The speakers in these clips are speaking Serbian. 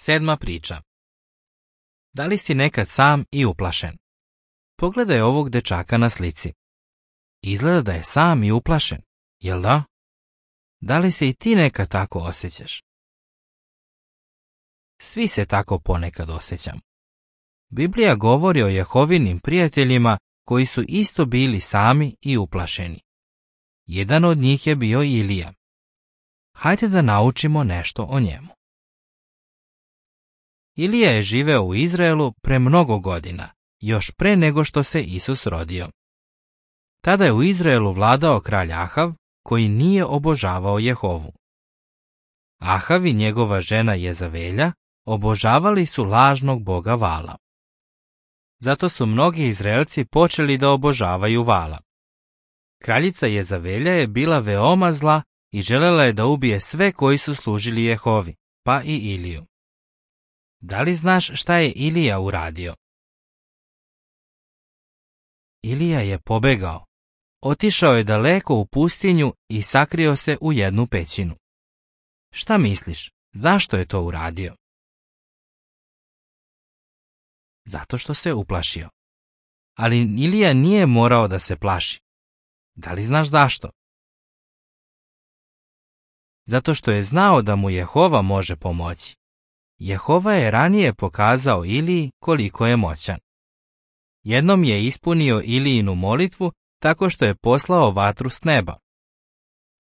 7. priča. Da li si nekad sam i uplašen? Pogledaj ovog dečaka na slici. Izgleda da je sam i uplašen, jel da? Da li se i ti nekad tako osjećaš? Svi se tako ponekad osjećamo. Biblija govori o Jehovinim prijateljima koji su isto bili sami i uplašeni. Jedan od njih je bio Ilija. Hajde da naučimo nešto o njemu. Ilija je živeo u Izraelu pre mnogo godina, još pre nego što se Isus rodio. Tada je u Izraelu vladao kralj Ahav, koji nije obožavao Jehovu. Ahav i njegova žena Jezavelja obožavali su lažnog boga Vala. Zato su mnogi Izraelci počeli da obožavaju Vala. Kraljica Jezavelja je bila veoma zla i želela je da ubije sve koji su služili Jehovi, pa i Iliju. Da li znaš šta je Ilija uradio? Ilija je pobegao. Otišao je daleko u pustinju i sakrio se u jednu pećinu. Šta misliš, zašto je to uradio? Zato što se uplašio. Ali Ilija nije morao da se plaši. Da li znaš zašto? Zato što je znao da mu Jehova može pomoći. Jehova je ranije pokazao Iliji koliko je moćan. Jednom je ispunio Ilijinu molitvu tako što je poslao vatru s neba.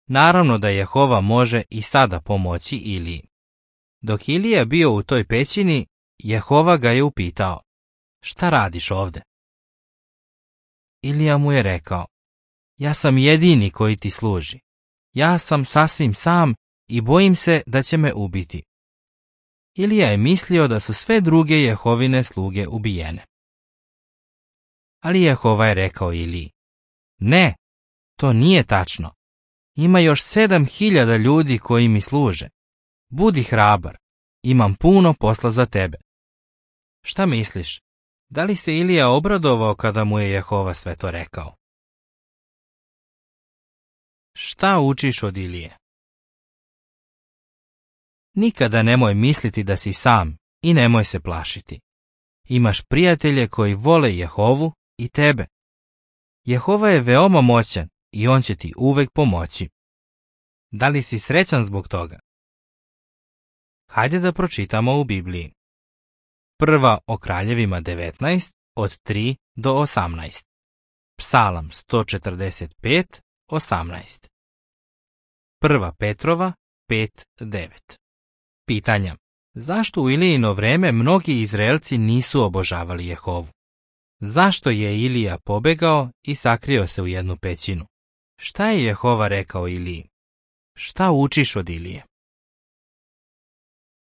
Naravno da Jehova može i sada pomoći Iliji. Dok Ilija bio u toj pećini, Jehova ga je upitao: šta radiš ovde? Ilija mu je rekao: ja sam jedini koji ti služi. Ja sam sasvim sam i bojim se da će me ubiti. Ilija je mislio da su sve druge Jehovine sluge ubijene. Ali Jehova je rekao Iliji: ne, to nije tačno. Ima još 7.000 ljudi koji mi služe. Budi hrabar, imam puno posla za tebe. Šta misliš, da li se Ilija obradovao kada mu je Jehova sve to rekao? Šta učiš od Ilije? Nikada nemoj misliti da si sam i nemoj se plašiti. Imaš prijatelje koji vole Jehovu i tebe. Jehova je veoma moćan i on će ti uvek pomoći. Da li si srećan zbog toga? Hajde da pročitamo u Bibliji. Prva o kraljevima 19, od 3 do 18. Psalam 145, 18. Prva Petrova 5:9. Pitanja. Zašto u Ilijino vreme mnogi Izraelci nisu obožavali Jehovu? Zašto je Ilija pobegao i sakrio se u jednu pećinu? Šta je Jehova rekao Iliji? Šta učiš od Ilije?